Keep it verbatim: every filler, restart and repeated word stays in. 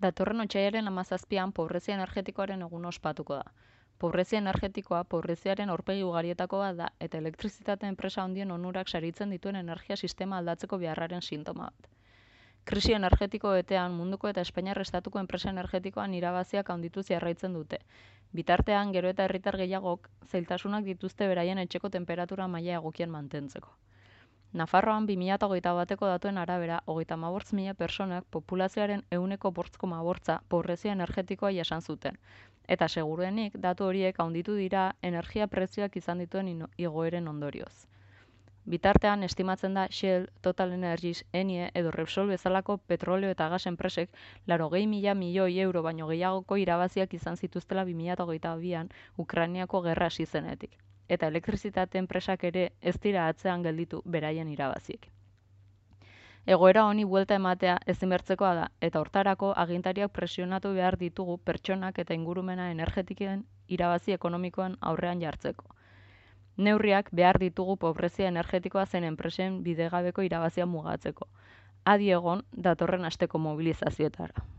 Datorren otsailaren hamazazpian pobrezia energetikoaren eguna ospatuko da. Pobrezia energetikoa pobreziaren aurpegi ugarietakoa da eta elektrizitate enpresa handien onurak saritzen dituen energia sistema aldatzeko beharraren sintoma bat. Krisi energetiko betean munduko eta Espainiar estatuko enpresa energetikoan irabaziak handituz jarraitzen dute. Bitartean, gero eta herritar gehiagok zailtasunak dituzte beraien etxeko tenperatura maila egokien mantentzeko. Nafarroan bi mila hogeita bateko datuen arabera, hogeita hamabost mila pertsonak populazioaren ehuneko bost koma bosta pobrezia energetikoa jasan zuten. Eta seguruenik, datu horiek handitu dira energia prezioak izan dituen igoeren ondorioz. Bitartean, estimatzen da Shell, Total Energies, Enie edo Repsol bezalako petrolio eta gas enpresek laurogei mila milioi euro baino gehiagoko irabaziak izan zituztela bi mila hogeita bian Ukrainiako gerra hasi zenetik. Eta elektrizitate enpresak ere ez dira atzean gelditu beraien irabaziek. Egoera honi buelta ematea ezinbertzekoa da, eta hortarako agintariak presionatu behar ditugu pertsonak eta ingurumena energetiken irabazi ekonomikoan aurrean jartzeko. Neurriak behar ditugu pobrezia energetikoa zen enpresen bidegabeko irabazia mugatzeko. Adi egon datorren asteko mobilizazioetara.